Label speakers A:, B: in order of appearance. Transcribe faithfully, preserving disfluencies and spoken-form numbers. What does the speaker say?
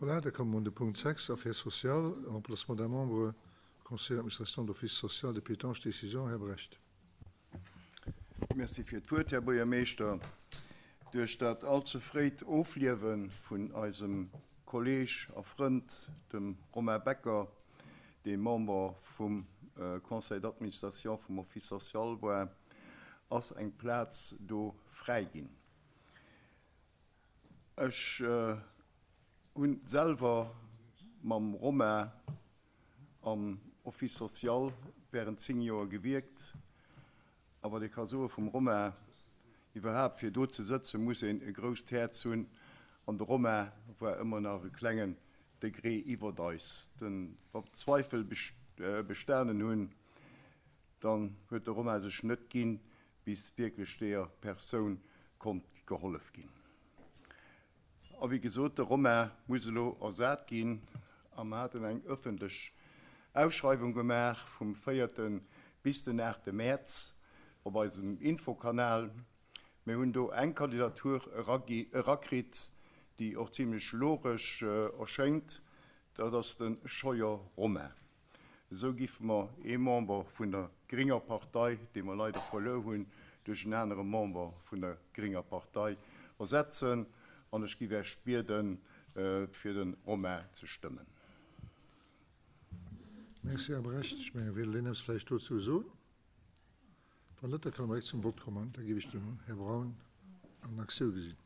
A: Voilà, da komme mer un de Punkt sechs, Affaires sociales, Remplacement d'un membre au Conseil d'administration de l'Office social de Pétange, Décision, Här Brecht.
B: Merci fir d'Wuert, Här Buergermeeschter. Duerch dat all ze fréit Ofliewe vun eisem Kolleeg a Frënd, dem Romain Becker, dee Member vum Conseil d'administration vum Office social war, ass eng Plaz do fräi ginn. Ech hunn selwer mam Romain am Office social während zéng Joer gewierkt. A wat ee ka soe vum Romain, iwwerhaapt fir do ze sëtzen, muss een e grousst Häerz hunn. An de Romain war ëmmer nach e klengen Degré iwwert eis. Den, wa Zweifel bestanen hunn, dann huet de Romain sech net ginn, bis wierklech deeër Persoun konnt gehollef ginn. A wéi gesot, de Romain muss elo ersat ginn. A mer haten eng ëffentlech Ausschreiwung gemaach vum véierte bis den aachte Mäerz op eisem Infokanal. Mir hunn do eng Kandidatur erakritt, déi och zimlech logesch erschéngt, dat ass de Scheuer Romain. Esou giffe mer ee Member vun der grénger Partei, dee mer leider verluer hunn, duerch en anere Member vun der grénger Partei ersetzen. An ech giff Iech bieden, fir de Romain ze stëmmen.
A: Merci, Här Brecht. Ech mengen, wéilt een eppes vläicht dozou soen? Wann net, da kënne mer direkt zum Vott kommen. Da géif ech den Här Braun an Aktioun gesinn.